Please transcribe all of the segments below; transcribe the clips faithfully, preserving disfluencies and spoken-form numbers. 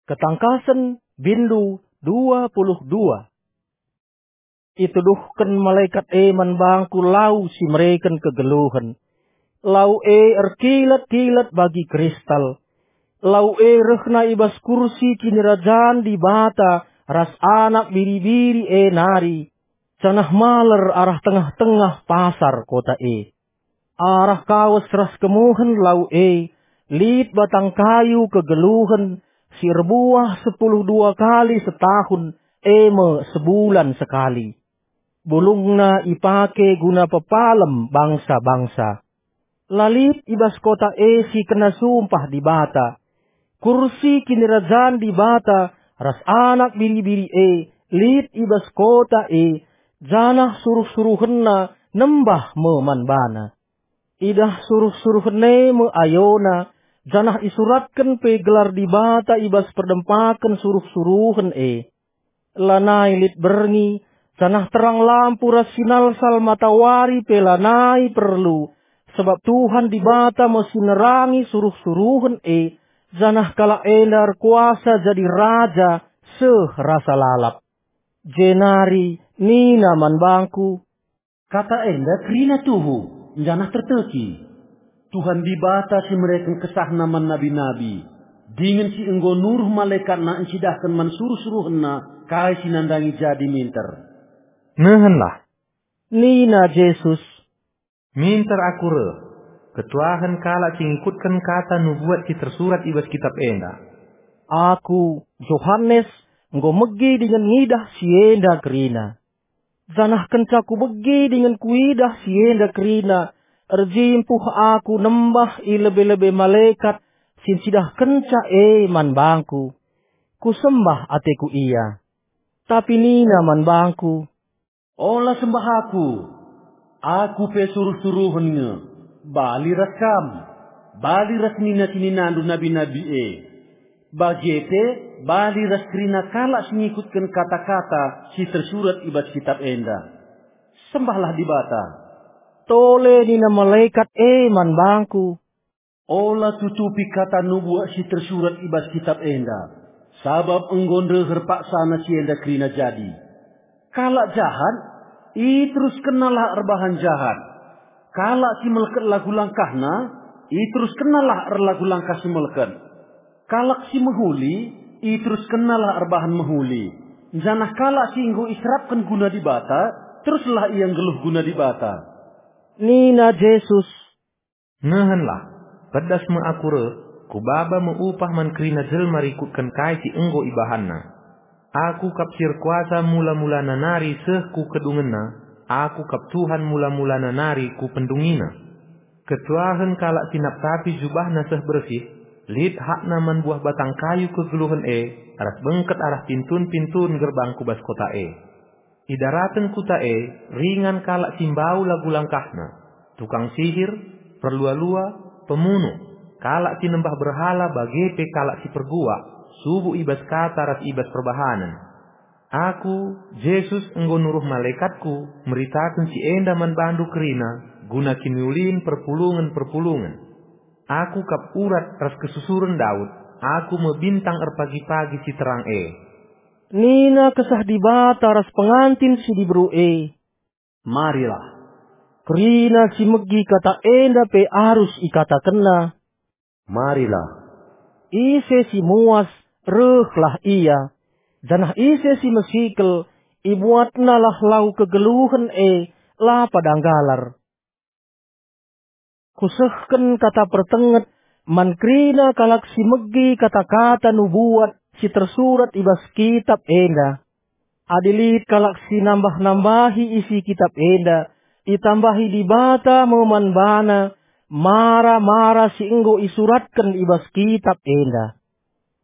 Ketangkasen, bindu dua puluh dua. Ituduhken malekat e man bangku lau si mereken kegeluhen. Lau e erkilat-kilat bagi kristal. Lau e rehna i bas kursi kinirajan Dibata ras Anak Biri-biri e nari, janah maler arah tengah-tengah pasar kota e. Arah kawes ras kemuhen lau e, lit batang kayu kegeluhen si erbuah sepuluh dua kali setahun, e me sebulan sekali. Bulungna ipake guna pepalem bangsa-bangsa. La lit i bas kota e si kena sumpah Dibata. Kursi kinirajan Dibata ras Anak Biri-biri e lit i bas kota e, janah suruh-suruhenna nembah me man bana. Idah suruh-suruhen e me ayona, janah isuratken pe gelar Dibata i bas perdempaken suruh-suruhen e. Lanai lit berngi, janah terang lampu ras sinalsal matawari pe lanai perlu, sabap Tuhan Dibata me si nerangi suruh-suruhen e, janah kalak enda erkuasa jadi raja seh rasa lalap. Jenari nina man bangku, "Kata enda kerina tuhu, janah terteki. Tuhan Dibata si mereken kesahna man nabi-nabi, dingen si enggo nuruh malekatna encidahken man suruh-suruhenna kai si nandangi jadi minter." Nehenlah, nina Jesus, "Minter Aku reh, ketuahen kalak si ngikutken kata nubuat si tersurat i bas kitap enda." Aku, Johanes, enggo megi dingen ngidah si enda kerina. Janah kenca kubegi dingen kuidah si enda kerina, erjimpuh aku nembah i lebe-lebe malekat si ncidahkenca e man bangku. Kusembah ateku ia. Tapi nina man bangku, "Ola sembah aku. Aku pe suruh-suruhen nge, bali ras kam, bali ras nina-sininandu nabi-nabi e. Bage pe, bali ras kerina kalak si ngikutken kata-kata si tersurat i bas kitap enda. Sembahlah Dibata." Tole nina malekat e man bangku, "Ola tutupi kata nubuat si tersurat i bas kitap enda, sabap enggo ndeher paksana si enda kerina jadi. Kalak jahat, iteruskennalah erbahan jahat. Kalak si melket lagu langkahna, iteruskennalah erlagu langkah si melket. Kalak si mehuli, iteruskennalah erbahan mehuli. Janah kalak si enggo iserapken guna Dibata, teruslah ia nggeluh guna Dibata." Nina Jesus, "Nehenlah, pedas me Aku reh, Kubaba me upah man kerina jelma rikutken kai si enggo ibahanna. Aku kap si erkuasa mula-mulana nari seh ku kedungenna, Aku kap Tuhan mula-mulana nari ku pendungina. Ketuahen kalak si naptapi jubahna seh bersih, lit hakna man buah batang kayu kegeluhen e, ras bengket arah pintun-pintun gerbang ku bas kota e. Idaraten kuta e ringan kalak si mbau lagu langkahna, tukang sihir, perlua-lua, pemunu, kalak si nembah berhala bage pe kalak si perguak, subuk i bas kata ras i bas perbahanen. Aku, Jesus, enggo nuruh malekatKu meritaken si enda man bandu kerina guna kiniulin perpulungen-perpulungen. Aku kap urat ras kesusuren Daud, Aku me bintang erpagi-pagi si terang e." Nina Kesah Dibata ras pengantin si diberu e, "Marilah." Kerina si megi kata enda pe arus ikatakenna, "Marilah." Ise si muas, rehlah ia, janah ise si mesikel, ibuatnalah lau kegeluhen e, la pada nggalar. Kusehken kata pertenget man kerina kalak si megi kata-kata nubuat si tersurat i bas kitap enda. Adi lit kalak si nambah-nambahi isi kitap enda, itambahi Dibata me man bana mara-mara si enggo isuratken i bas kitap enda.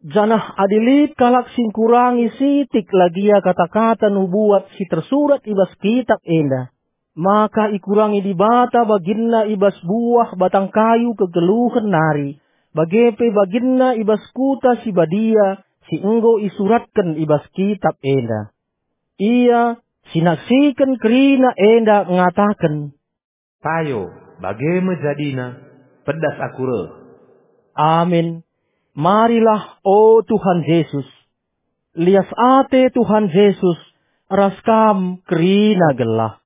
Janah adi lit kalak si ngkurangi sitik lagia kata-kata nubuat si tersurat i bas kitap enda, maka ikurangi Dibata baginna i bas buah batang kayu kegeluhen nari, bage pe baginna i bas kuta si badia si enggo isuratken i bas kitap enda. Ia si naksiken kerina enda ngataken, "Payo, bage me jadina, pedas aku reh." Amin. Marilah, o Tuhan Jesus. Lias ate Tuhan Jesus ras kam kerina gelah.